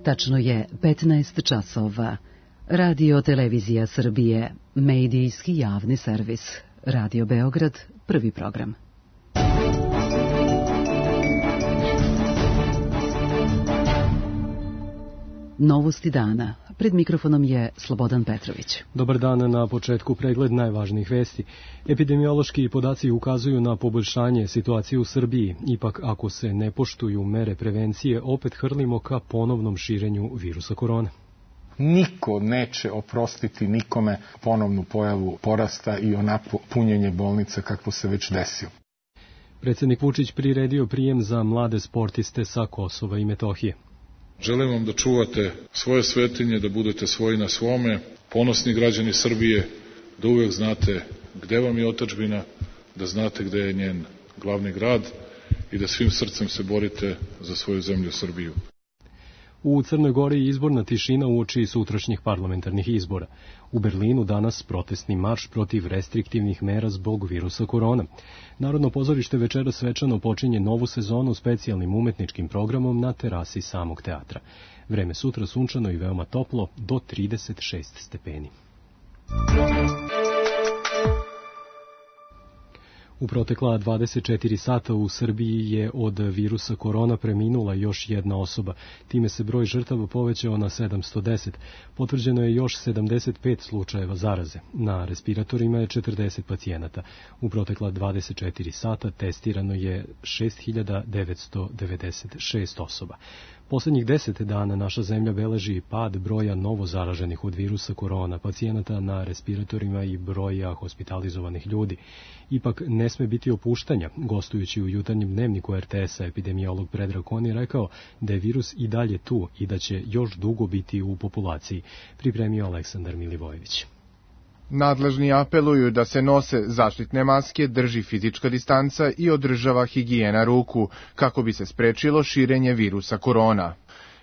Tačno je 15 časova. Radio Televizija Srbije, medijski javni servis. Radio Beograd, prvi program. Novosti dana. Pred mikrofonom je Slobodan Petrović. Dobar dan, na početku pregled najvažnijih vesti. Epidemiološki podaci ukazuju na poboljšanje situacije u Srbiji. Ipak, ako se ne poštuju mere prevencije, opet hrlimo ka ponovnom širenju virusa korona. Niko neće oprostiti nikome ponovnu pojavu porasta i onako punjenje bolnica kako se već desilo. Predsjednik Vučić priredio prijem za mlade sportiste sa Kosova i Metohije. Želim vam da čuvate svoje svetinje, da budete svoji na svome, ponosni građani Srbije, da uvek znate gde vam je otadžbina, da znate gde je njen glavni grad i da svim srcem se borite za svoju zemlju Srbiju. U Crnoj Gori je izborna tišina uoči sutrašnjih parlamentarnih izbora. U Berlinu danas protestni marš protiv restriktivnih mera zbog virusa korona. Narodno pozorište večeras svečano počinje novu sezonu specijalnim umetničkim programom na terasi samog teatra. Vreme sutra sunčano i veoma toplo, do 36 stepeni. U protekla 24 sata u Srbiji je od virusa korona preminula još jedna osoba. Time se broj žrtava povećao na 710. Potvrđeno je još 75 slučajeva zaraze. Na respiratorima je 40 pacijenata. U protekla 24 sata testirano je 6996 osoba. Poslednjih 10 dana naša zemlja beleži pad broja novo zaraženih od virusa korona, pacijenata na respiratorima i broja hospitalizovanih ljudi. Ipak ne sme biti opuštanja. Gostujući u jutarnjem dnevniku RTS-a, epidemiolog Predrag Kon je rekao da je virus i dalje tu i da će još dugo biti u populaciji, pripremio Aleksandar Milivojević. Nadležni apeluju da se nose zaštitne maske, drži fizička distanca i održava higijena ruku, kako bi se sprečilo širenje virusa korona.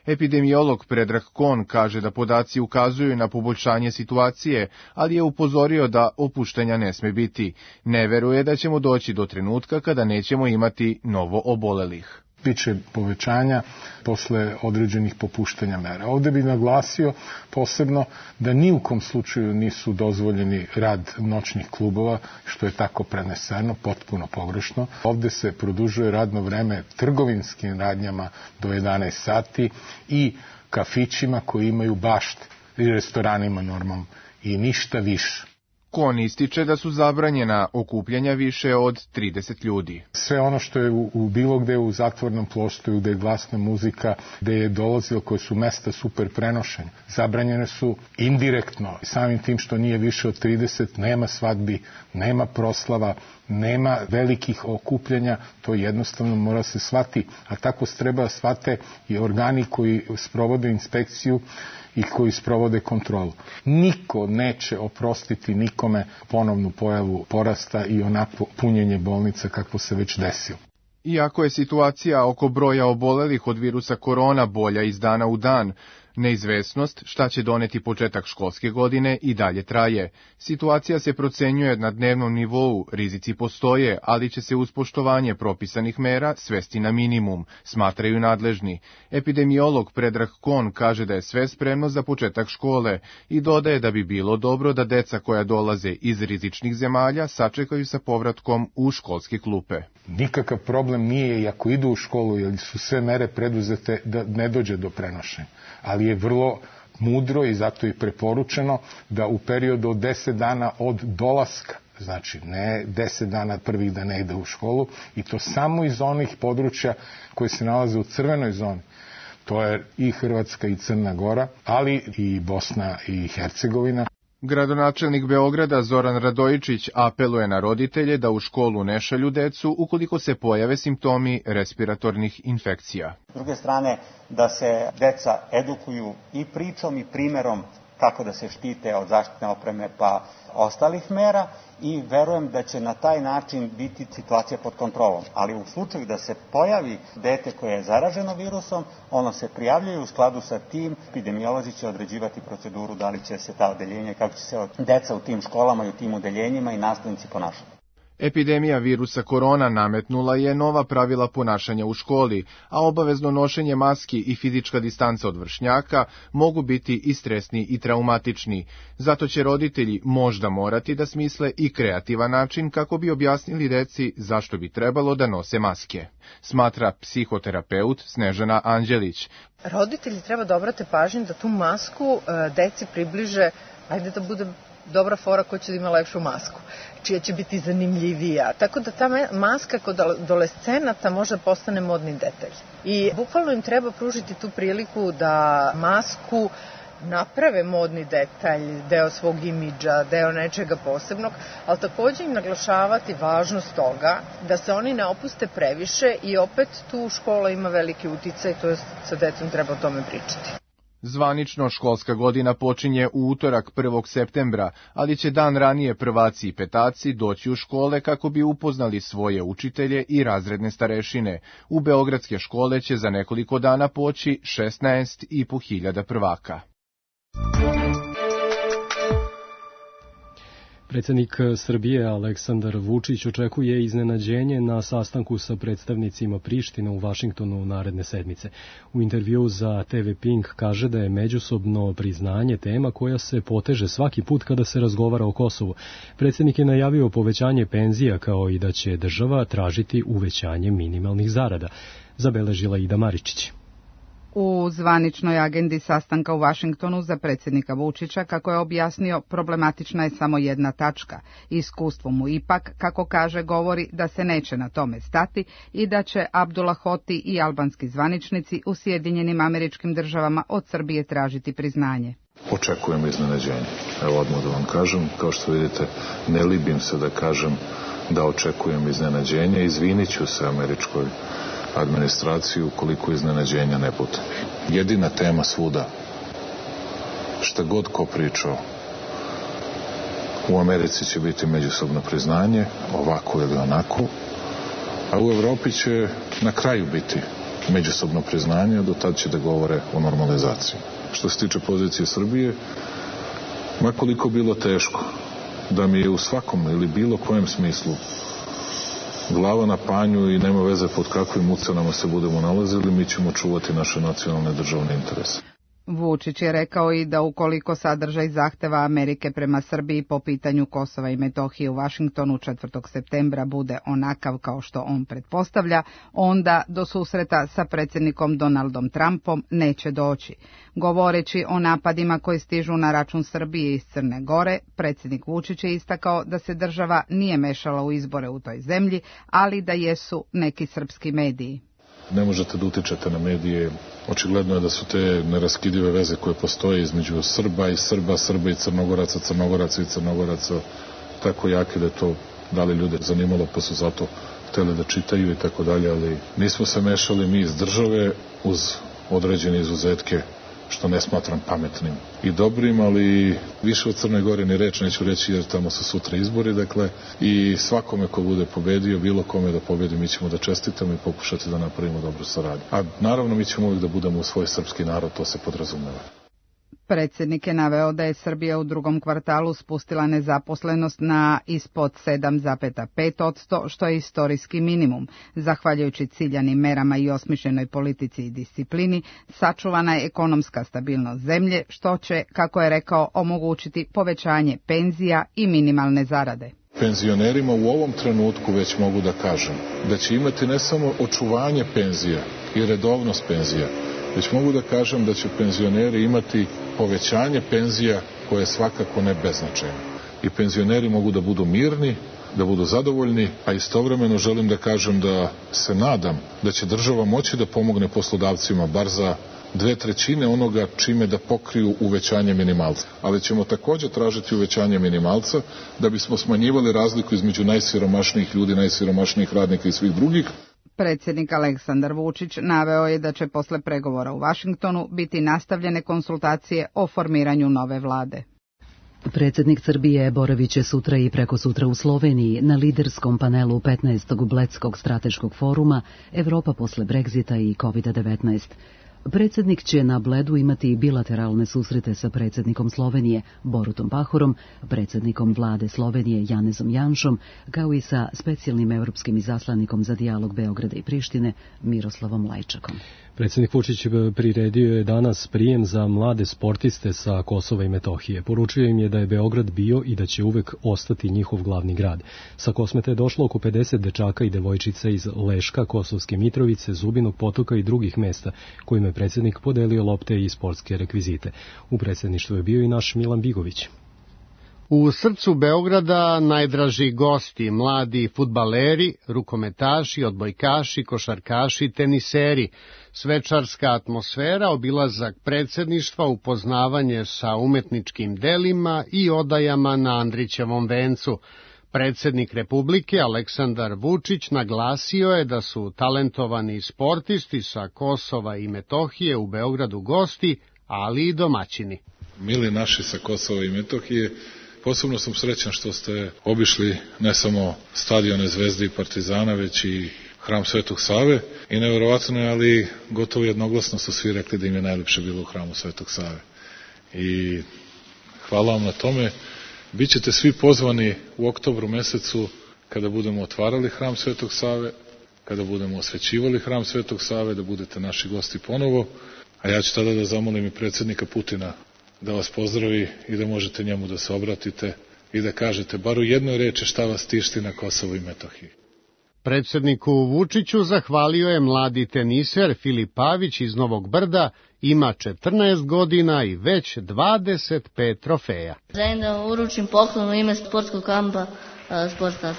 Epidemiolog Predrag Kon kaže da podaci ukazuju na poboljšanje situacije, ali je upozorio da opuštanja ne sme biti. Ne veruje da ćemo doći do trenutka kada nećemo imati novo obolelih. Biće povećanja posle određenih popuštanja mera. Ovde bih naglasio posebno da ni u kom slučaju nisu dozvoljeni rad noćnih klubova, što je tako preneseno, potpuno pogrešno. Ovde se produžuje radno vreme trgovinskim radnjama do 11 sati i kafićima koji imaju bašte i restoranima normalno i ništa više. Kon ističe da su zabranjena okupljanja više od 30 ljudi. Sve ono što je u bilo gde u zatvornom prostoru, gde je glasna muzika, gde je dolazilo, koje su mesta super prenošenja, zabranjene su indirektno. Samim tim što nije više od 30, nema svadbi, nema proslava, nema velikih okupljanja, to jednostavno mora se shvati. A tako se treba shvate i organi koji sprovode inspekciju i koji sprovode kontrolu. Niko neće oprostiti nikome ponovnu pojavu porasta i onako punjenje bolnica kako se već desilo. Iako je situacija oko broja obolelih od virusa korona bolja iz dana u dan, neizvesnost šta će doneti početak školske godine i dalje traje. Situacija se procenjuje na dnevnom nivou, rizici postoje, ali će se uz poštovanje propisanih mera svesti na minimum, smatraju nadležni. Epidemiolog Predrag Kon kaže da je sve spremno za početak škole i dodaje da bi bilo dobro da deca koja dolaze iz rizičnih zemalja sačekaju sa povratkom u školske klupe. Nikakav problem nije i ako idu u školu, jer su sve mere preduzete da ne dođe do prenošenja. Ali je vrlo mudro i zato je preporučeno da u periodu od 10 dana od dolaska, znači ne 10 dana prvih da ne ide u školu, i to samo iz onih područja koje se nalaze u crvenoj zoni. To je i Hrvatska i Crna Gora, ali i Bosna i Hercegovina. Gradonačelnik Beograda Zoran Radojičić apeluje na roditelje da u školu ne šalju decu ukoliko se pojave simptomi respiratornih infekcija. S druge strane, da se deca edukuju i pričom i primerom kako da se štite od zaštitne opreme pa ostalih mera i verujem da će na taj način biti situacija pod kontrolom. Ali u slučaju da se pojavi dete koje je zaraženo virusom, ono se prijavljuje u skladu sa tim. Epidemiolozi će određivati proceduru da li će se ta odeljenja, kako će se deca u tim školama i u tim odeljenjima i nastavnici ponašati. Epidemija virusa korona nametnula je nova pravila ponašanja u školi, a obavezno nošenje maski i fizička distanca od vršnjaka mogu biti i stresni i traumatični. Zato će roditelji možda morati da smisle i kreativan način kako bi objasnili deci zašto bi trebalo da nose maske, smatra psihoterapeut Snežana Anđelić. Roditelji treba da obrate pažnju da tu masku deci približe, ajde da bude dobra fora ko će da ima lepšu masku, čija će biti zanimljivija. Tako da ta maska kod adolescenata može postane modni detalj. I bukvalno im treba pružiti tu priliku da masku naprave modni detalj, deo svog imidža, deo nečega posebnog, ali takođe im naglašavati važnost toga da se oni ne opuste previše i opet tu škola ima veliki uticaj, to je sa decom treba o tome pričati. Zvanično školska godina počinje u utorak 1. septembra, ali će dan ranije prvaci i petaci doći u škole kako bi upoznali svoje učitelje i razredne starešine. U beogradske škole će za nekoliko dana poći 16.500 prvaka. Predsjednik Srbije Aleksandar Vučić očekuje iznenađenje na sastanku sa predstavnicima Prištine u Vašingtonu naredne sedmice. U intervjuu za TV Pink kaže da je međusobno priznanje tema koja se poteže svaki put kada se razgovara o Kosovu. Predsjednik je najavio povećanje penzija kao i da će država tražiti uvećanje minimalnih zarada. Zabeležila Ida Maričić. U zvaničnoj agendi sastanka u Vašingtonu za predsjednika Vučića, kako je objasnio, problematična je samo jedna tačka. Iskustvo mu ipak, kako kaže, govori da se neće na tome stati i da će Abdullah Hoti i albanski zvaničnici u Sjedinjenim Američkim Državama od Srbije tražiti priznanje. Očekujem iznenađenje. Evo odmah da vam kažem, kao što vidite, ne libim se da kažem da očekujem iznenađenje. Izvinit ću se američkoj administraciju ukoliko iznenađenja ne bude. Jedina tema svuda, šta god ko pričao, u Americi će biti međusobno priznanje, ovako ili onako, a u Evropi će na kraju biti međusobno priznanje, a do tad će da govore o normalizaciji. Što se tiče pozicije Srbije, makoliko bilo teško da mi je u svakom ili bilo kojem smislu glava na panju i nema veze pod kakvim ucenama se budemo nalazili, mi ćemo čuvati naše nacionalne državne interese. Vučić je rekao i da ukoliko sadržaj zahteva Amerike prema Srbiji po pitanju Kosova i Metohije u Vašingtonu 4. septembra bude onakav kao što on pretpostavlja, onda do susreta sa predsjednikom Donaldom Trumpom neće doći. Govoreći o napadima koji stižu na račun Srbije iz Crne Gore, predsjednik Vučić je istakao da se država nije mešala u izbore u toj zemlji, ali da jesu neki srpski mediji. Ne možete da utičete na medije. Očigledno je da su te neraskidive veze koje postoje između Srba i Srba, Srba i Crnogoraca, Crnogoraca i Crnogoraca tako jake da je to da li ljude zanimalo pa su zato hteli da čitaju i tako dalje, ali nismo se mešali mi iz države uz određene izuzetke, što ne smatram pametnim i dobrim, ali više od Crne Gore ni reč neću reći jer tamo su sutra izbori, dakle, i svakome ko bude pobedio, bilo kome da pobedi, mi ćemo da čestitamo i pokušati da napravimo dobru saradnju. A naravno mi ćemo uvijek da budemo u svoj srpski narod, to se podrazumeva. Predsjednik je naveo da je Srbija u drugom kvartalu spustila nezaposlenost na ispod 7,5%, što je istorijski minimum. Zahvaljujući ciljanim merama i osmišljenoj politici i disciplini, sačuvana je ekonomska stabilnost zemlje, što će, kako je rekao, omogućiti povećanje penzija i minimalne zarade. Penzionerima u ovom trenutku već mogu da kažem da će imati ne samo očuvanje penzija i redovnost penzija, već mogu da kažem da će penzioneri imati povećanje penzija koje je svakako ne beznačajno. I penzioneri mogu da budu mirni, da budu zadovoljni, a istovremeno želim da kažem da se nadam da će država moći da pomogne poslodavcima bar za 2/3 onoga čime da pokriju uvećanje minimalca. Ali ćemo također tražiti uvećanje minimalca da bismo smanjivali razliku između najsiromašnijih ljudi, najsiromašnijih radnika i svih drugih. Predsjednik Aleksandar Vučić naveo je da će posle pregovora u Vašingtonu biti nastavljene konsultacije o formiranju nove vlade. Predsjednik Srbije boravit će sutra i prekosutra u Sloveniji na liderskom panelu 15. Bledskog strateškog foruma Evropa posle Brexita i COVID-19. Predsjednik će na Bledu imati bilateralne susrete sa predsjednikom Slovenije Borutom Pahorom, predsjednikom vlade Slovenije Janezom Janšom, kao i sa specijalnim evropskim izaslanikom za dijalog Beograda i Prištine Miroslavom Lajčakom. Predsjednik Vučić priredio je danas prijem za mlade sportiste sa Kosova i Metohije. Poručio im je da je Beograd bio i da će uvek ostati njihov glavni grad. Sa Kosmeta je došlo oko 50 dečaka i devojčica iz Leška, Kosovske Mitrovice, Zubinog Potoka i drugih mesta, kojima je predsjednik podelio lopte i sportske rekvizite. U predsjedništvu je bio i naš Milan Bigović. U srcu Beograda najdraži gosti, mladi fudbaleri, rukometaši, odbojkaši, košarkaši, teniseri. Svečarska atmosfera, obilazak predsjedništva, upoznavanje sa umetničkim delima i odajama na Andrićevom vencu. Predsjednik Republike Aleksandar Vučić naglasio je da su talentovani sportisti sa Kosova i Metohije u Beogradu gosti, ali i domaćini. Mili naši sa Kosova i Metohije, posebno sam srećan što ste obišli ne samo stadione Zvezde i Partizana, već i Hram Svetog Save. I neverovatno je, ali gotovo jednoglasno su svi rekli da im je najlepše bilo u Hramu Svetog Save. I hvala vam na tome. Bićete svi pozvani u oktobru mesecu kada budemo otvarali Hram Svetog Save, kada budemo osvećivali Hram Svetog Save, da budete naši gosti ponovo. A ja ću tada da zamolim i predsjednika Putina da vas pozdravi i da možete njemu da se obratite i da kažete bar u jednoj reči šta vas tišti na Kosovu i Metohiji. Predsjedniku Vučiću zahvalio je mladi teniser Filip Pavić iz Novog Brda, ima 14 godina i već 25 trofeja. Želim da uručim poklon u ime sportskog kampa Sportstars.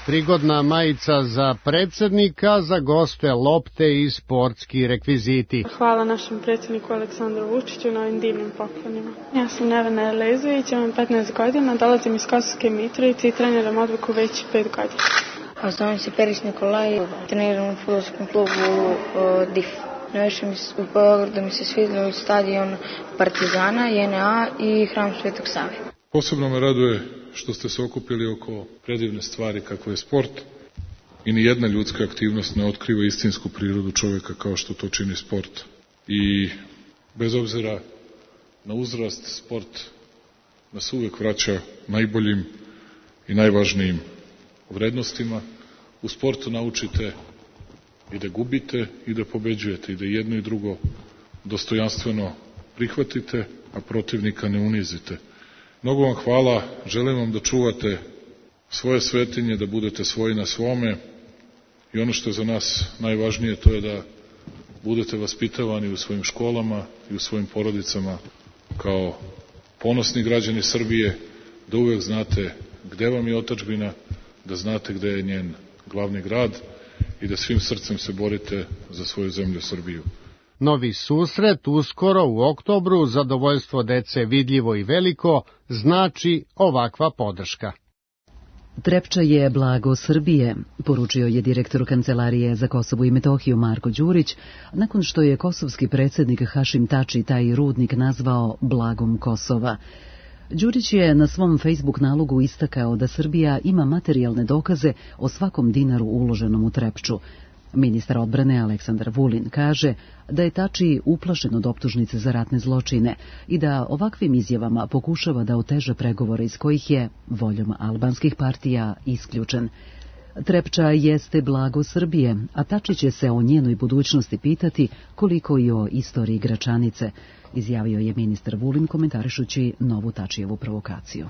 Prigodna majica za predsjednika, za goste lopte i sportski rekviziti. Hvala našem predsjedniku Aleksandru Vučiću na ovim divnim poklonima. Ja sam Nevena Elezović, imam 15 godina, dolazim iz Kosovske Mitrovice i treniram odbojku već 5 godina. Zovem se Perić Nikolaj, treniram u fudbalskom klubu DIF. Najviše u Beogradu mi se svidjelo stadion Partizana, JNA i Hram Svetog Save. Posebno me raduje što ste se okupili oko predivne stvari kako je sport i ni jedna ljudska aktivnost ne otkriva istinsku prirodu čovjeka kao što to čini sport. I bez obzira na uzrast, sport nas uvek vraća najboljim i najvažnijim vrednostima. U sportu naučite i da gubite i da pobeđujete i da jedno i drugo dostojanstveno prihvatite, a protivnika ne unizite. Mnogo vam hvala, želim vam da čuvate svoje svetinje, da budete svoji na svome i ono što je za nas najvažnije to je da budete vaspitavani u svojim školama i u svojim porodicama kao ponosni građani Srbije, da uvek znate gde vam je otadžbina, da znate gde je njen glavni grad i da svim srcem se borite za svoju zemlju Srbiju. Novi susret uskoro u oktobru, zadovoljstvo dece vidljivo i veliko, znači ovakva podrška. Trepča je blago Srbije, poručio je direktor Kancelarije za Kosovo i Metohiju Marko Đurić, nakon što je kosovski predsjednik Hašim Tači taj rudnik nazvao blagom Kosova. Đurić je na svom Facebook nalogu istakao da Srbija ima materijalne dokaze o svakom dinaru uloženom u Trepču. Ministar odbrane Aleksandar Vulin kaže da je Tači uplašen od optužnice za ratne zločine i da ovakvim izjavama pokušava da oteža pregovore iz kojih je, voljom albanskih partija, isključen. Trepča jeste blago Srbije, a Tači će se o njenoj budućnosti pitati koliko i o istoriji Gračanice, izjavio je ministar Vulin komentarišući novu Tačijevu provokaciju.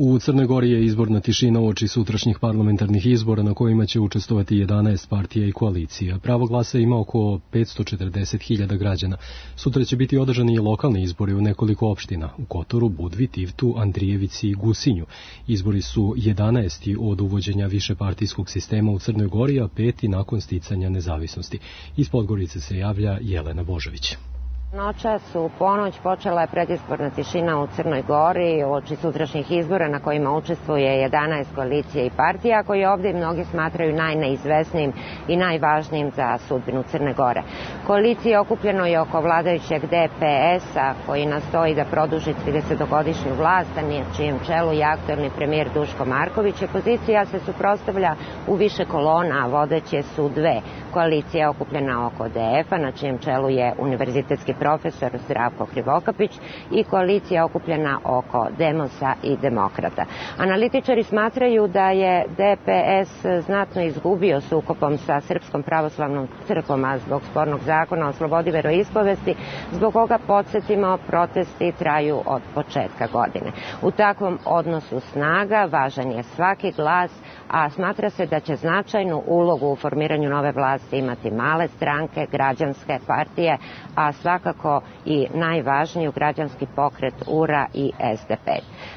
U Crnoj Gori je izborna tišina uoči sutrašnjih parlamentarnih izbora na kojima će učestvovati 11 partija i koalicija. Pravo glasa ima oko 540.000 građana. Sutra će biti održani i lokalni izbori u nekoliko opština, u Kotoru, Budvi, Tivtu, Andrijevici i Gusinju. Izbori su 11. od uvođenja višepartijskog sistema u Crnoj Gori, a 5. nakon sticanja nezavisnosti. Iz Podgorice se javlja Jelena Božović. Noćas u ponoć počela je predizborna tišina u Crnoj Gori uoči sutrašnjih izbora na kojima učestvuje 11 koalicija i partija koje ovdje mnogi smatraju najneizvesnijim i najvažnijim za sudbinu Crne Gore. Koalicija okupljeno je oko vladajućeg DPS-a koji nastoji da produži 30-godišnju vlast, a na čijem čelu je aktuelni premijer Duško Marković. Opozicija se suprotstavlja u više kolona, vodeće su dve. Koalicija okupljena oko DF-a, na čijem čelu je univerzitetski profesor Zdravko Krivokapić, i koalicija okupljena oko Demosa i Demokrata. Analitičari smatraju da je DPS znatno izgubio sukobom sa Srpskom pravoslavnom crkvom, a zbog spornog zakona o slobodi veroispovesti, zbog koga, podsjetimo, protesti traju od početka godine. U takvom odnosu snaga važan je svaki glas, a smatra se da će značajnu ulogu u formiranju nove vlasti imati male stranke, građanske partije, a svakako i najvažniju građanski pokret URA i SDP.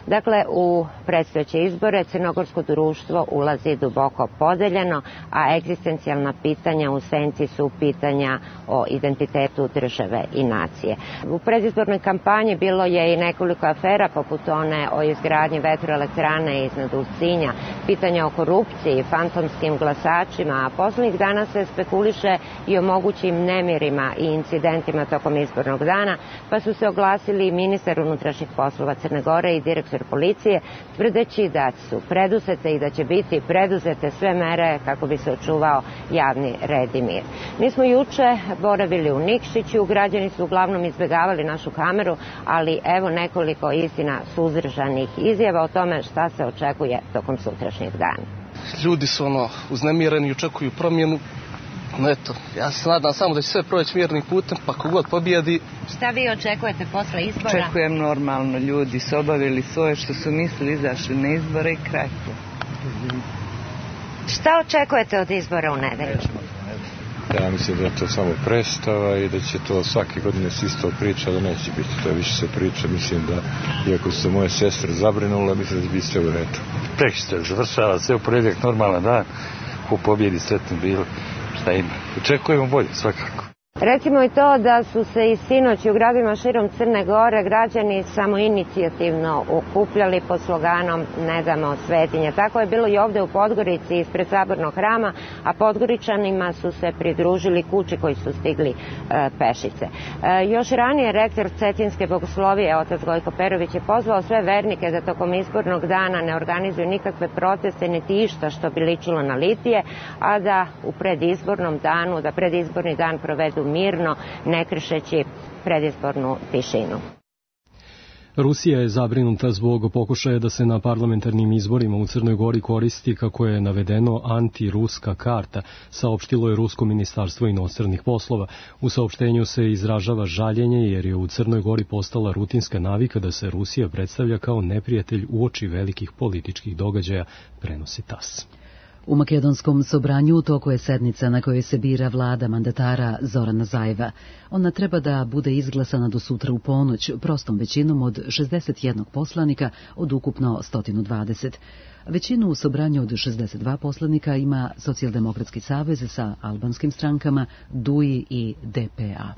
Dakle, u predstojeće izbore crnogorsko društvo ulazi duboko podeljeno, a egzistencijalna pitanja u senci su pitanja o identitetu države i nacije. U predizbornoj kampanji bilo je i nekoliko afera, poput one o izgradnji vetroelektrane iznad Ulcinja, pitanja o korupciji, fantomskim glasačima, a poslednjih dana se spekuliše i o mogućim nemirima i incidentima tokom izbornog dana, pa su se oglasili ministar unutrašnjih poslova Crne Gore i direktor policije, tvrdeći da su preduzete i da će biti preduzete sve mere kako bi se očuvao javni red i mir. Mi smo juče boravili u Nikšiću, građani su uglavnom izbjegavali našu kameru, ali evo nekoliko istina suzdržanih izjava o tome šta se očekuje tokom sutrašnjeg dana. Ljudi su uznemireni i očekuju promjenu. Eto, ja se nadam samo da će sve proći mirnim putem, pa kogod pobijedi. Šta vi očekujete posle izbora? Očekujem normalno, ljudi su obavili svoje što su mislili, izašli na izbore i kraj. Šta očekujete od izbora u nedelju? Ja mislim da je to samo predstava i da će to svake godine se isto priča, da neće biti to više se priča. Mislim da, iako su moje sestre zabrinule, mislim da će biti sve u redu. Prekšće završava sve u ponedjeljak, normalan dan, ko pobjedi sretno bilo, šta ima. Očekujemo bolje svakako. Recimo i to da su se i sinoć u gradovima širom Crne Gore građani samoinicijativno okupljali pod sloganom Ne damo svetinje. Tako je bilo i ovde u Podgorici ispred Sabornog hrama, a Podgoričanima su se pridružili kući koji su stigli pešice. Još ranije rektor Cetinske bogoslovije, otac Gojko Perović, je pozvao sve vernike da tokom izbornog dana ne organizuju nikakve proteste niti išta što bi ličilo na litije, a da u predizbornom danu, da predizborni dan provedu mirno, ne kršeći predizbornu tišinu. Rusija je zabrinuta zbog pokušaja da se na parlamentarnim izborima u Crnoj Gori koristi, kako je navedeno, antiruska karta, saopštilo je Rusko ministarstvo inostranih poslova. U saopštenju se izražava žaljenje jer je u Crnoj Gori postala rutinska navika da se Rusija predstavlja kao neprijatelj uoči velikih političkih događaja, prenosi TASS. U makedonskom sobranju u toku je sednica na kojoj se bira vlada mandatara Zorana Zajeva. Ona treba da bude izglasana do sutra u ponoć, prostom većinom od 61 poslanika od ukupno 120. Većinu u sobranju od 62 poslanika ima Socijaldemokratski savez sa albanskim strankama, DUI i DPA.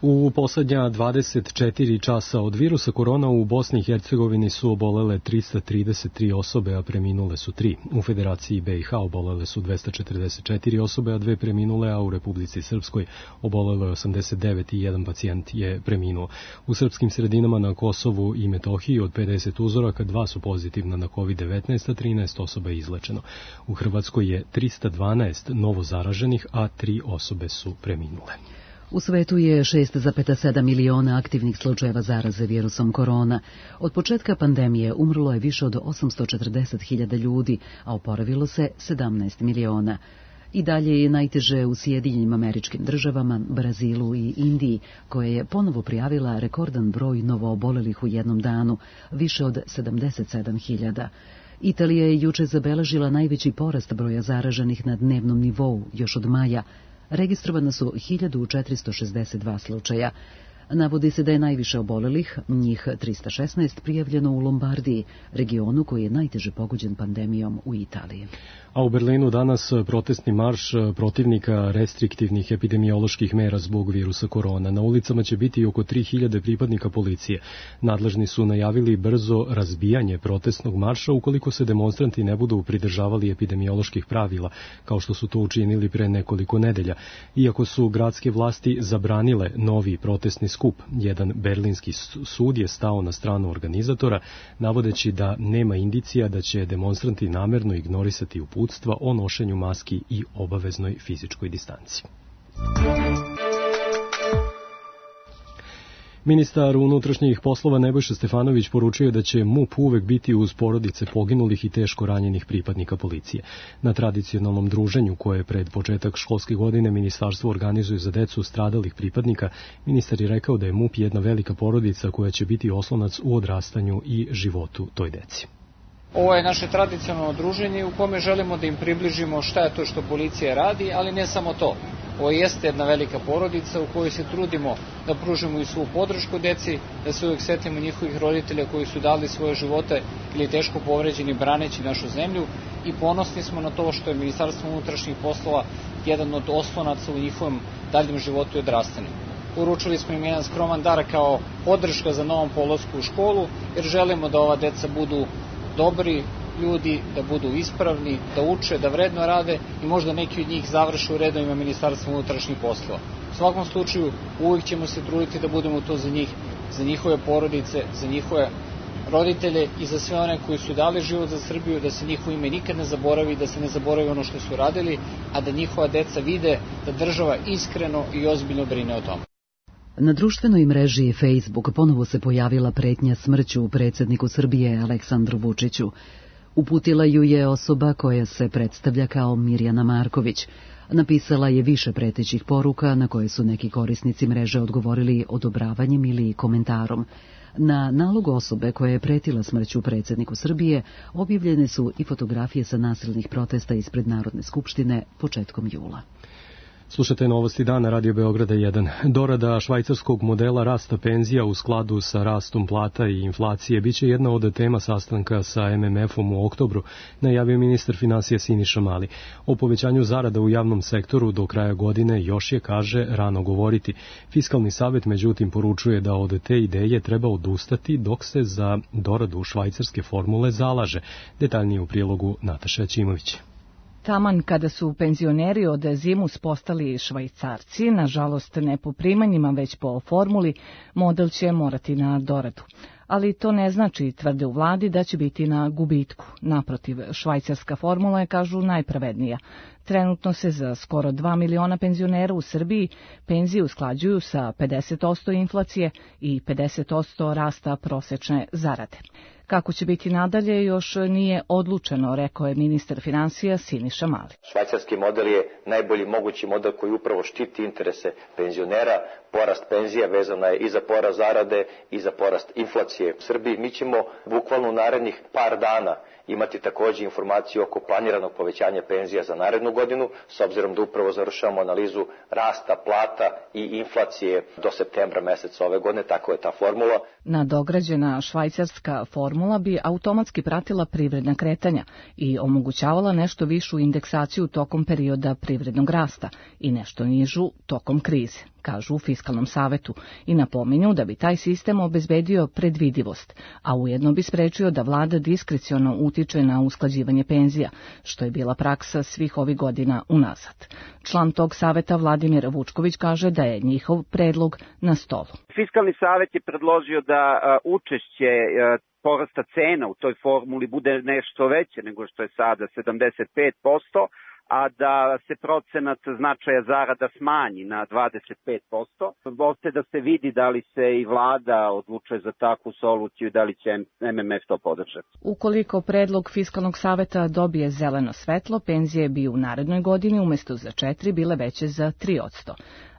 U poslednja 24 časa od virusa korona u Bosni i Hercegovini su obolele 333 osobe, a preminule su 3. U Federaciji BiH obolele su 244 osobe, a 2 preminule, a u Republici Srpskoj obolelo je 89 i 1 pacijent je preminuo. U srpskim sredinama na Kosovu i Metohiji od 50 uzoraka 2 su pozitivna na COVID-19, a 13 osoba je izlečeno. U Hrvatskoj je 312 novo zaraženih, a 3 osobe su preminule. U svetu je 6,7 miliona aktivnih slučajeva zaraze virusom korona. Od početka pandemije umrlo je više od 840.000 ljudi, a oporavilo se 17 miliona. I dalje je najteže u Sjedinjenim Američkim Državama, Brazilu i Indiji, koja je ponovo prijavila rekordan broj novoobolelih u jednom danu, više od 77.000. Italija je juče zabeležila najveći porast broja zaraženih na dnevnom nivou, još od maja. Registrovana su 1462 slučaja. Navodi se da je najviše obolelih, njih 316, prijavljeno u Lombardiji, regionu koji je najteže pogođen pandemijom u Italiji. A u Berlinu danas protestni marš protivnika restriktivnih epidemioloških mera zbog virusa korona. Na ulicama će biti oko 3000 pripadnika policije. Nadležni su najavili brzo razbijanje protestnog marša ukoliko se demonstranti ne budu pridržavali epidemioloških pravila, kao što su to učinili pre nekoliko nedelja. Iako su gradske vlasti zabranile novi protestni skup skup. Jedan berlinski sud je stao na stranu organizatora, navodeći da nema indicija da će demonstranti namerno ignorisati uputstva o nošenju maski i obaveznoj fizičkoj distanci. Ministar unutrašnjih poslova Nebojša Stefanović poručio da će MUP uvek biti uz porodice poginulih i teško ranjenih pripadnika policije. Na tradicionalnom druženju koje pred početak školske godine ministarstvo organizuje za decu stradalih pripadnika, ministar je rekao da je MUP jedna velika porodica koja će biti oslonac u odrastanju i životu toj deci. Ovo je naše tradicionalno druženje u kome želimo da im približimo šta je to što policija radi, ali ne samo to. Ovo jeste jedna velika porodica u kojoj se trudimo da pružimo i svu podršku deci, da se uvijek setimo njihovih roditelja koji su dali svoje živote ili teško povređeni braneći našu zemlju i ponosni smo na to što je Ministarstvo unutrašnjih poslova jedan od oslonaca u njihovom daljem životu i odrastanju. Uručili smo im jedan skroman dar kao podrška za novom polasku u školu, jer želimo da ova deca budu dobri ljudi, da budu ispravni, da uče, da vredno rade i možda neki od njih završe u redovima Ministarstva unutrašnjih poslova. U svakom slučaju, uvijek ćemo se truditi da budemo to za njih, za njihove porodice, za njihove roditelje i za sve one koji su dali život za Srbiju, da se njihovo ime nikad ne zaboravi, da se ne zaboravi ono što su radili, a da njihova deca vide da država iskreno i ozbiljno brine o tome. Na društvenoj mreži Facebook ponovo se pojavila pretnja smrću predsjedniku Srbije Aleksandru Vučiću. Uputila ju je osoba koja se predstavlja kao Mirjana Marković. Napisala je više pretećih poruka na koje su neki korisnici mreže odgovorili odobravanjem ili komentarom. Na nalog osobe koja je pretila smrću predsjedniku Srbije objavljene su i fotografije sa nasilnih protesta ispred Narodne skupštine početkom jula. Slušajte novosti dana Radio Beograda 1. Dorada švajcarskog modela rasta penzija u skladu sa rastom plata i inflacije biće jedna od tema sastanka sa MMF-om u oktobru, najavio ministar finansija Siniša Mali. O povećanju zarada u javnom sektoru do kraja godine još je, kaže, rano govoriti. Fiskalni savet, međutim, poručuje da od te ideje treba odustati dok se za doradu švajcarske formule zalaže. Detaljnije u prilogu Nataša Ćimović. Taman kada su penzioneri od zimus postali Švajcarci, nažalost ne po primanjima već po formuli, model će morati na doradu. Ali to ne znači, tvrde u vladi, da će biti na gubitku. Naprotiv, švajcarska formula je, kažu, najpravednija. Trenutno se za skoro 2 miliona penzionera u Srbiji penzije usklađuju sa 50% inflacije i 50% rasta prosečne zarade. Kako će biti nadalje još nije odlučeno, rekao je ministar finansija Siniša Mali. Švajcarski model je najbolji mogući model koji upravo štiti interese penzionera. Porast penzija vezana je i za porast zarade i za porast inflacije. U Srbiji mi ćemo bukvalno u narednih par dana imati također informaciju oko planiranog povećanja penzija za narednu godinu, s obzirom da upravo završavamo analizu rasta plata i inflacije do septembra meseca ove godine, tako je ta formula. Nadograđena švajcarska formula bi automatski pratila privredna kretanja i omogućavala nešto višu indeksaciju tokom perioda privrednog rasta i nešto nižu tokom krize, kažu u Fiskalnom savetu, i napominju da bi taj sistem obezbedio predvidivost, a ujedno bi sprečio da vlada diskreciono utiče na usklađivanje penzija, što je bila praksa svih ovih godina unazad. Član tog saveta Vladimir Vučković kaže da je njihov predlog na stolu. Fiskalni savet je predložio da učešće porasta cena u toj formuli bude nešto veće nego što je sada 75%, a da se procenat značaja zarada smanji na 25%. Ostaje da se vidi da li se i vlada odlučuje za takvu soluciju i da li će MMF to podržati. Ukoliko predlog Fiskalnog saveta dobije zeleno svetlo, penzije bi u narednoj godini umjesto za 4 bile veće za 3%.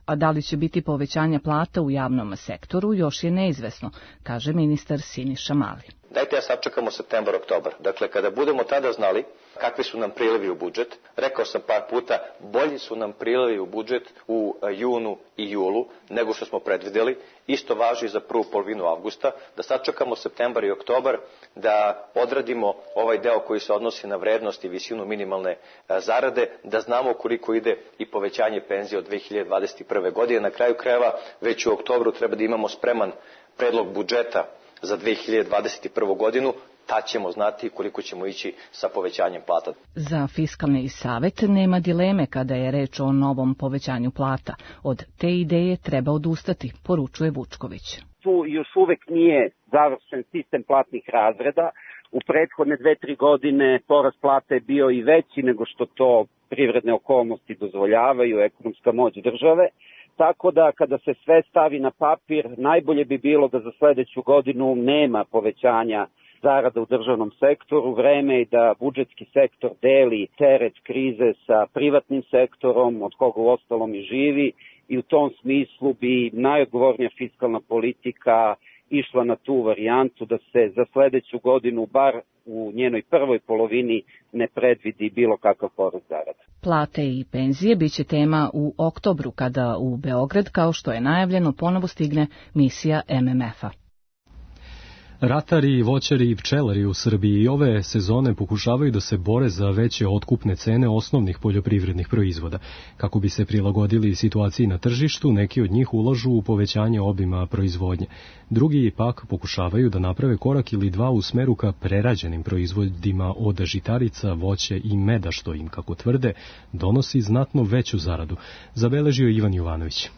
A da li će biti povećanja plata u javnom sektoru još je neizvesno, kaže ministar Siniša Mali. Dajte sačekamo septembar, oktobar. Dakle, kada budemo tada znali kakvi su nam prilivi u budžet, rekao sam par puta, bolji su nam prilivi u budžet u junu i julu nego što smo predvidjeli. Isto važi za prvu polovinu avgusta, da sačekamo septembar i oktobar, da odradimo ovaj deo koji se odnosi na vrednost i visinu minimalne zarade, da znamo koliko ide i povećanje penzije od 2021. godine. Na kraju krajeva, već u oktobru treba da imamo spreman predlog budžeta za 2021. godinu. tad ćemo znati koliko ćemo ići sa povećanjem plata. Za Fiskalni savet nema dileme kada je reč o novom povećanju plata. Od te ideje treba odustati, poručuje Vučković. Tu još uvek nije završen sistem platnih razreda. U prethodne 2-3 godine porast plata je bio i veći nego što to privredne okolnosti dozvoljavaju, ekonomska moć države. Tako da kada se sve stavi na papir, najbolje bi bilo da za sledeću godinu nema povećanja zarada u državnom sektoru, vreme je da budžetski sektor deli teret krize sa privatnim sektorom, od koga u ostalom i živi, i u tom smislu bi najodgovornija fiskalna politika išla na tu varijantu da se za sledeću godinu, bar u njenoj prvoj polovini, ne predvidi bilo kakav porast zarada. Plate i penzije biće tema u oktobru, kada u Beograd, kao što je najavljeno, ponovo stigne misija MMF-a. Ratari, voćari i pčelari u Srbiji ove sezone pokušavaju da se bore za veće otkupne cene osnovnih poljoprivrednih proizvoda. Kako bi se prilagodili situaciji na tržištu, neki od njih ulažu u povećanje obima proizvodnje. Drugi pak pokušavaju da naprave korak ili dva u smeru ka prerađenim proizvodima od žitarica, voće i meda, što im, kako tvrde, donosi znatno veću zaradu. Zabeležio Ivan Jovanović.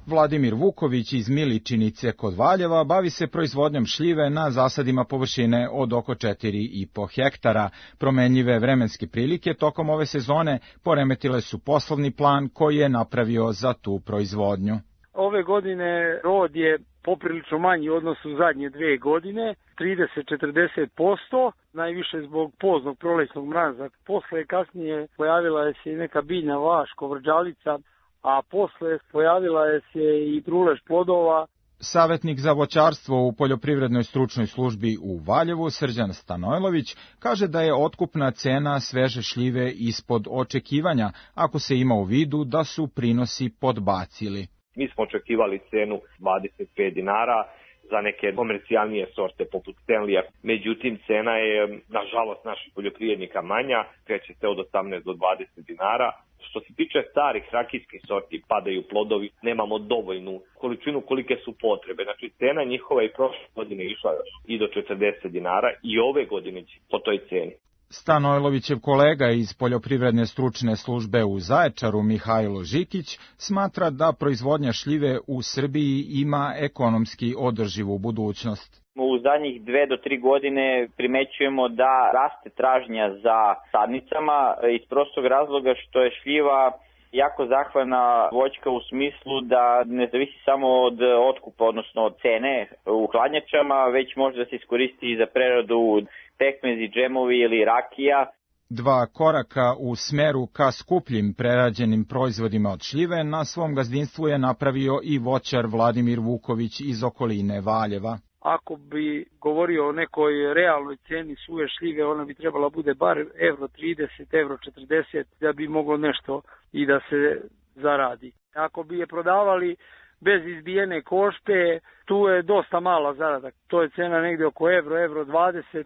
Vladimir Vuković iz Miličinice kod Valjeva bavi se proizvodnjom šljive na zasadima površine od oko 4,5 hektara. Promenljive vremenske prilike tokom ove sezone poremetile su poslovni plan koji je napravio za tu proizvodnju. Ove godine rod je poprilično manji u odnosu zadnje 2 godine, 30-40%, najviše zbog poznog prolećnog mraza. Posle kasnije pojavila je se i neka biljna vaš, kovrđalica, a posle pojavila je se i trulež plodova. Savetnik za voćarstvo u Poljoprivrednoj stručnoj službi u Valjevu, Srđan Stanojlović, kaže da je otkupna cena sveže šljive ispod očekivanja, ako se ima u vidu da su prinosi podbacili. Mi smo očekivali cenu 25 dinara za neke komercijalnije sorte poput Stanleya. Međutim, cena je, nažalost, naših poljoprivrednika manja, kreće se od 18 do 20 dinara. Što se tiče starih rakijskih sorti, padaju plodovi, nemamo dovoljnu količinu kolike su potrebe. Znači, cena njihova i prošle godine išla i do 40 dinara i ove godine će po toj ceni. Stanojlovićev kolega iz Poljoprivredne stručne službe u Zaječaru, Mihajlo Žikić, smatra da proizvodnja šljive u Srbiji ima ekonomski održivu budućnost. U zadnjih 2 do 3 godine primećujemo da raste tražnja za sadnicama iz prostog razloga što je šljiva jako zahvalna voćka u smislu da ne zavisi samo od otkupa, odnosno od cene u hladnjačama, već može da se iskoristi i za preradu pekmezi, džemovi ili rakija. Dva koraka u smeru ka skupljim prerađenim proizvodima od šljive na svom gazdinstvu je napravio i voćar Vladimir Vuković iz okoline Valjeva. Ako bi govorio o nekoj realnoj ceni suve šljive, ona bi trebala bude bar €30, €40, da bi moglo nešto i da se zaradi. Ako bi je prodavali bez izbijene košpe, tu je dosta mala zarada. To je cena negde oko €20.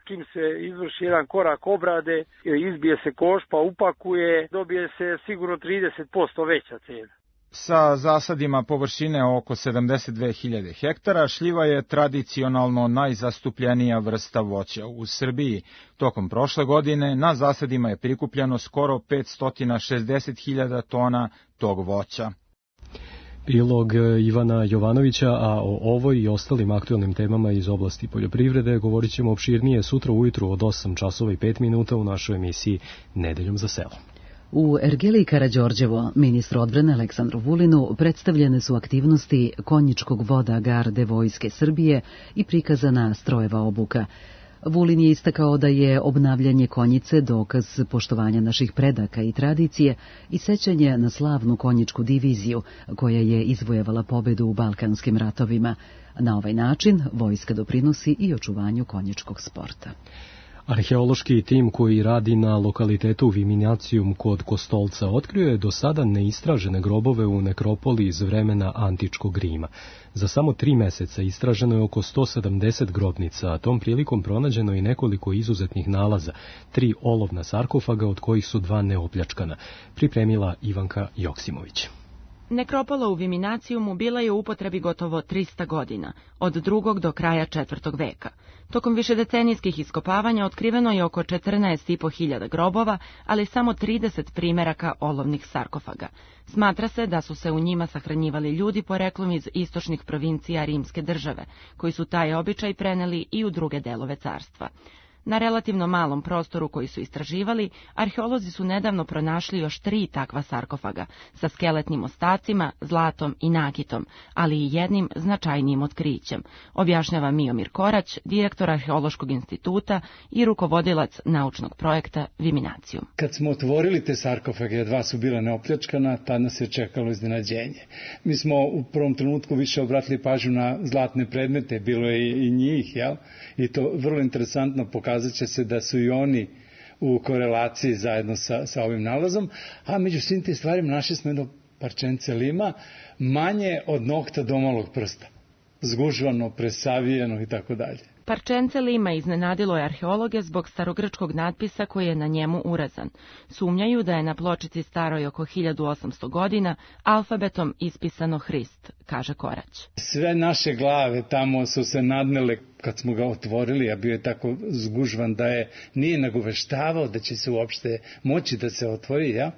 Čim se izvrši jedan korak obrade, izbije se košpa, upakuje, dobije se sigurno 30% veća cena. Sa zasadima površine oko 72.000 hektara, šljiva je tradicionalno najzastupljenija vrsta voća u Srbiji. Tokom prošle godine na zasadima je prikupljeno skoro 560.000 tona tog voća. Prilog Ivana Jovanovića, a o ovoj i ostalim aktualnim temama iz oblasti poljoprivrede govorit ćemo opširnije sutra ujutru od 8 časova i 5 minuta u našoj emisiji Nedeljom za selo. U Ergeli Karađorđevo, ministru odbrane Aleksandru Vulinu, predstavljene su aktivnosti konjičkog voda garde Vojske Srbije i prikazana strojeva obuka. Vulin je istakao da je obnavljanje konjice dokaz poštovanja naših predaka i tradicije i sećanje na slavnu konjičku diviziju koja je izvojevala pobedu u Balkanskim ratovima. Na ovaj način vojska doprinosi i očuvanju konjičkog sporta. Arheološki tim koji radi na lokalitetu Viminacijum kod Kostolca otkrio je do sada neistražene grobove u nekropoli iz vremena antičkog Rima. Za samo 3 meseca istraženo je oko 170 grobnica, a tom prilikom pronađeno i nekoliko izuzetnih nalaza, 3 olovna sarkofaga od kojih su 2 neopljačkana, pripremila Ivanka Joksimović. Nekropola u Viminacijumu bila je u upotrebi gotovo 300 godina, od 2. do kraja 4. veka. Tokom višedecenijskih iskopavanja otkriveno je oko 14.500 grobova, ali samo 30 primeraka olovnih sarkofaga. Smatra se da su se u njima sahranjivali ljudi poreklom iz istočnih provincija Rimske države, koji su taj običaj preneli i u druge delove carstva. Na relativno malom prostoru koji su istraživali, arheolozi su nedavno pronašli još 3 takva sarkofaga, sa skeletnim ostacima, zlatom i nakitom, ali i jednim značajnijim otkrićem, objašnjava Miomir Korać, direktor Arheološkog instituta i rukovodilac naučnog projekta Viminacijum. Kad smo otvorili te sarkofage, 2 su bila neopljačkana, tad nas je čekalo iznenađenje. Mi smo u prvom trenutku više obratili pažnju na zlatne predmete, bilo je i njih, jel? I to vrlo interesantno pokazuje. Će se da su i oni u korelaciji zajedno sa ovim nalazom, a među svim tim stvarima našli smo jedno parčence lima manje od nokta do malog prsta, zgužvano, presavijeno i tako dalje. Parčence lima iznenadilo je arheologe zbog starogrčkog natpisa koji je na njemu urazan. Sumnjaju da je na pločici staroj oko 1800 godina alfabetom ispisano Hrist, kaže Korać. Sve naše glave tamo su se nadmele kad smo ga otvorili, a bio je tako zgužvan da nije nagoveštavao da će se uopšte moći da se otvori. Ja?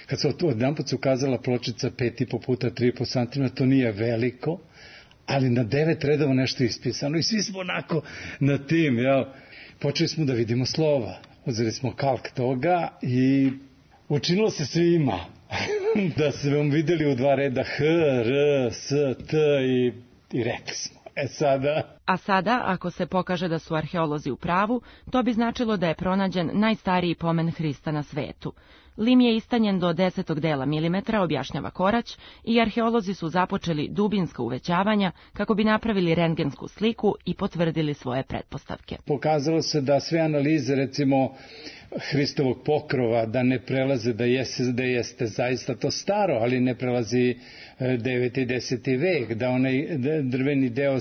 Kad se odjedanput ukazala pločica 5,5 puta 3,5 cm, to nije veliko, ali na 9 redova nešto ispisano i svi smo onako na tim, jel? Počeli smo da vidimo slova, uzeli smo kalk toga i učinilo se svima da smo videli u 2 reda H, R, S, T i rekli smo. A sada, ako se pokaže da su arheolozi u pravu, to bi značilo da je pronađen najstariji pomen Hrista na svetu. Lim je istanjen do 10. dela milimetra, objašnjava Korać, i arheolozi su započeli dubinska uvećavanja kako bi napravili rentgensku sliku i potvrdili svoje pretpostavke. Pokazalo se da sve analize, recimo Hristovog pokrova, da ne prelaze da jeste zaista to staro, ali ne prelazi 9. i 10. vek, da onaj drveni deo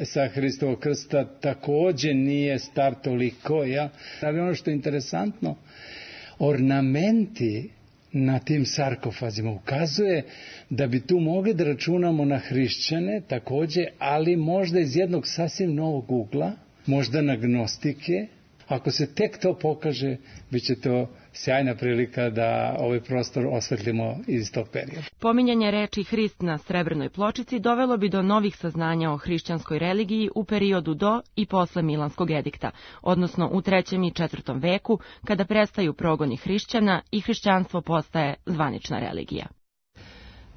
sa Hristovog krsta takođe nije star toliko, ja? Ali ono što je interesantno, ornamenti na tim sarkofazima ukazuje da bi tu mogli da računamo na hrišćane takođe, ali možda iz jednog sasvim novog ugla, možda na gnostike. Ako se tek to pokaže, bit će to sjajna prilika da ovaj prostor osvetlimo iz tog perioda. Pominjanje reči Hrist na srebrnoj pločici dovelo bi do novih saznanja o hrišćanskoj religiji u periodu do i posle Milanskog edikta, odnosno u 3. i 4. veku, kada prestaju progoni hrišćana i hrišćanstvo postaje zvanična religija.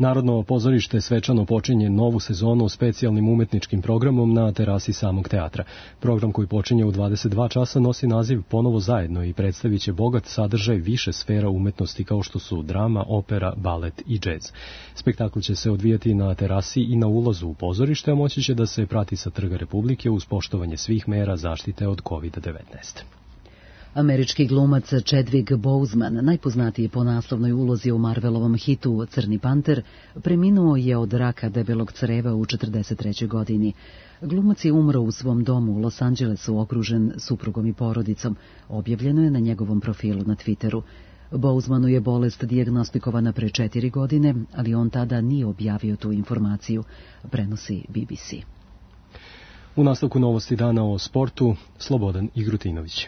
Narodno pozorište svečano počinje novu sezonu specijalnim umetničkim programom na terasi samog teatra. Program koji počinje u 22 časa nosi naziv Ponovo zajedno i predstavit će bogat sadržaj više sfera umetnosti kao što su drama, opera, balet i džez. Spektakl će se odvijati na terasi i na ulazu u pozorište, a moći će da se prati sa Trga Republike uz poštovanje svih mera zaštite od COVID-19. Američki glumac Chadwick Boseman, najpoznatiji po naslovnoj ulozi u Marvelovom hitu Crni panter, preminuo je od raka debelog creva u 43. godini. Glumac je umro u svom domu u Los Angelesu, okružen suprugom i porodicom. Objavljeno je na njegovom profilu na Twitteru. Bosemanu je bolest dijagnostikovana pre 4 godine, ali on tada nije objavio tu informaciju, prenosi BBC. U nastavku novosti dana o sportu, Slobodan Igrutinović.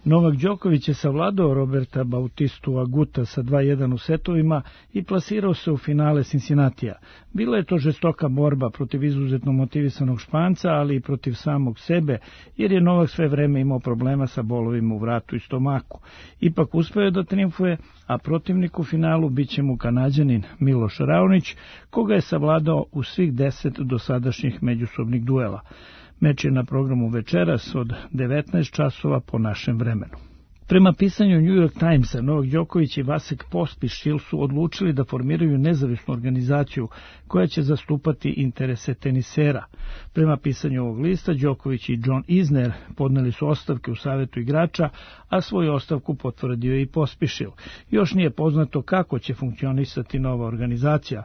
Novak Đoković je savladao Roberta Bautistu Aguta sa 2:1 u setovima i plasirao se u finale Cincinnatija. Bila je to žestoka borba protiv izuzetno motivisanog Španca, ali i protiv samog sebe, jer je Novak sve vreme imao problema sa bolovima u vratu i stomaku. Ipak uspeo je da trijumfuje, a protivnik u finalu biće mu Kanađanin Miloš Raonić, koga je savladao u svih 10 dosadašnjih međusobnih duela. Meč je na programu večeras od 19 časova po našem vremenu. Prema pisanju New York Timesa, Novak Đoković i Vasek Pospišil su odlučili da formiraju nezavisnu organizaciju koja će zastupati interese tenisera. Prema pisanju ovog lista, Đoković i John Isner podneli su ostavke u savetu igrača, a svoju ostavku potvrdio je i Pospišil. Još nije poznato kako će funkcionisati nova organizacija,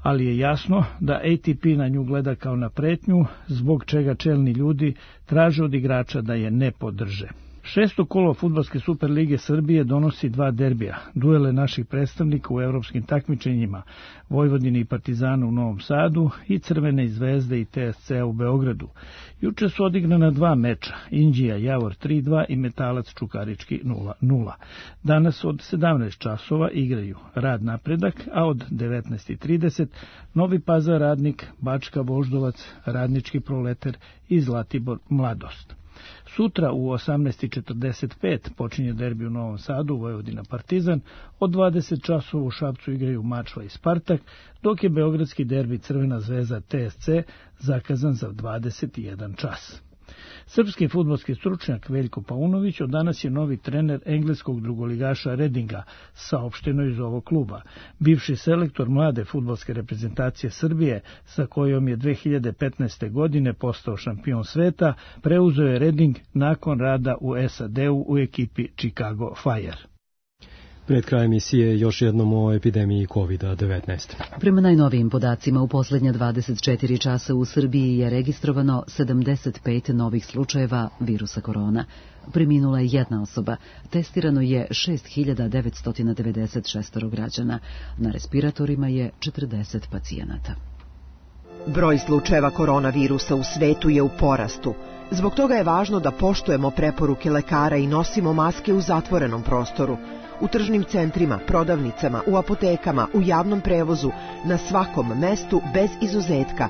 ali je jasno da ATP na nju gleda kao na pretnju, zbog čega čelni ljudi traže od igrača da je ne podrže. Šesto kolo Fudbalske Superlige Srbije donosi dva derbija, duele naših predstavnika u evropskim takmičenjima, Vojvodine i Partizana u Novom Sadu i Crvene Zvezde i TSC u Beogradu. Juče su odigrana dva meča, Inđija Javor 3-2 i Metalac Čukarički 0-0. Danas od 17 časova igraju Rad Napredak, a od 19:30 Novi Pazar Radnik, Bačka Voždovac, Radnički Proleter i Zlatibor Mladost. Sutra u 18:45 počinje derbi u Novom Sadu, Vojvodina Partizan, od 20 časova u Šapcu igraju Mačva i Spartak, dok je beogradski derbi Crvena Zvezda TSC zakazan za 21 čas. Srpski fudbalski stručnjak Veljko Paunović od danas je novi trener engleskog drugoligaša Redinga, saopšteno iz ovog kluba. Bivši selektor mlade fudbalske reprezentacije Srbije, sa kojom je 2015. godine postao šampion sveta, preuzeo je Reding nakon rada u SAD-u u ekipi Chicago Fire. Pred kraj emisije još jednom o epidemiji COVID-19. Prema najnovijim podacima, u posljednja 24 časa u Srbiji je registrovano 75 novih slučajeva virusa korona. Preminula je jedna osoba, testirano je 6.996 građana, na respiratorima je 40 pacijenata. Broj slučajeva koronavirusa u svetu je u porastu. Zbog toga je važno da poštujemo preporuke lekara i nosimo maske u zatvorenom prostoru, u tržnim centrima, prodavnicama, u apotekama, u javnom prevozu, na svakom mestu bez izuzetka.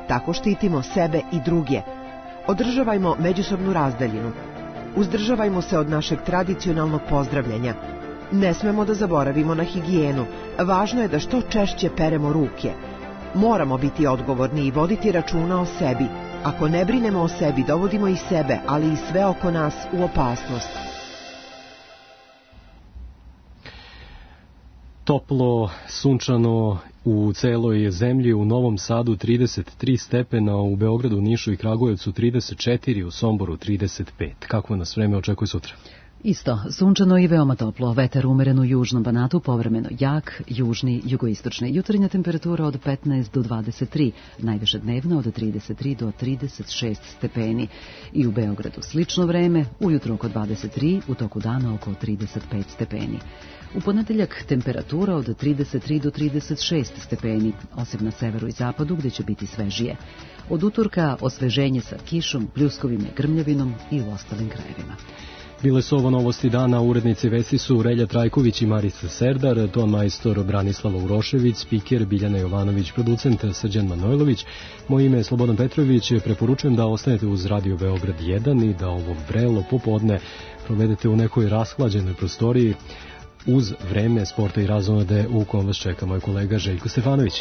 Tako štitimo sebe i druge. Održavajmo međusobnu razdaljinu. Uzdržavajmo se od našeg tradicionalnog pozdravljanja. Ne smemo da zaboravimo na higijenu. Važno je da što češće peremo ruke. Moramo biti odgovorni i voditi računa o sebi. Ako ne brinemo o sebi, dovodimo i sebe, ali i sve oko nas u opasnost. Toplo, sunčano u celoj zemlji, u Novom Sadu 33 stepena, u Beogradu, Nišu i Kragujevcu 34, u Somboru 35. Kako nas vreme očekuje sutra? Isto, sunčano i veoma toplo, vetar umeren u južnom Banatu, povremeno jak, južni, jugoistočni. Jutarnja temperatura od 15 do 23, najviše dnevna od 33 do 36 stepeni. I u Beogradu slično vreme, ujutro oko 23, u toku dana oko 35 stepeni. U ponedeljak temperatura od 33 do 36 stepeni, osim na severu i zapadu gdje će biti svežije. Od utorka osveženje sa kišom, pljuskovima i grmljavinom i u ostalim krajevima. Bile su ovo novosti dana, urednici vesti su Relja Trajković i Marica Serdar, ton majstor Branislava Urošević, spiker Biljana Jovanović, producent Srđan Manojlović. Moje ime je Slobodan Petrović, preporučujem da ostanete uz Radio Beograd 1 i da ovo vrelo popodne provedete u nekoj rashlađenoj prostoriji uz vreme sporta i razonode u kom vas čeka moj kolega Željko Stefanović.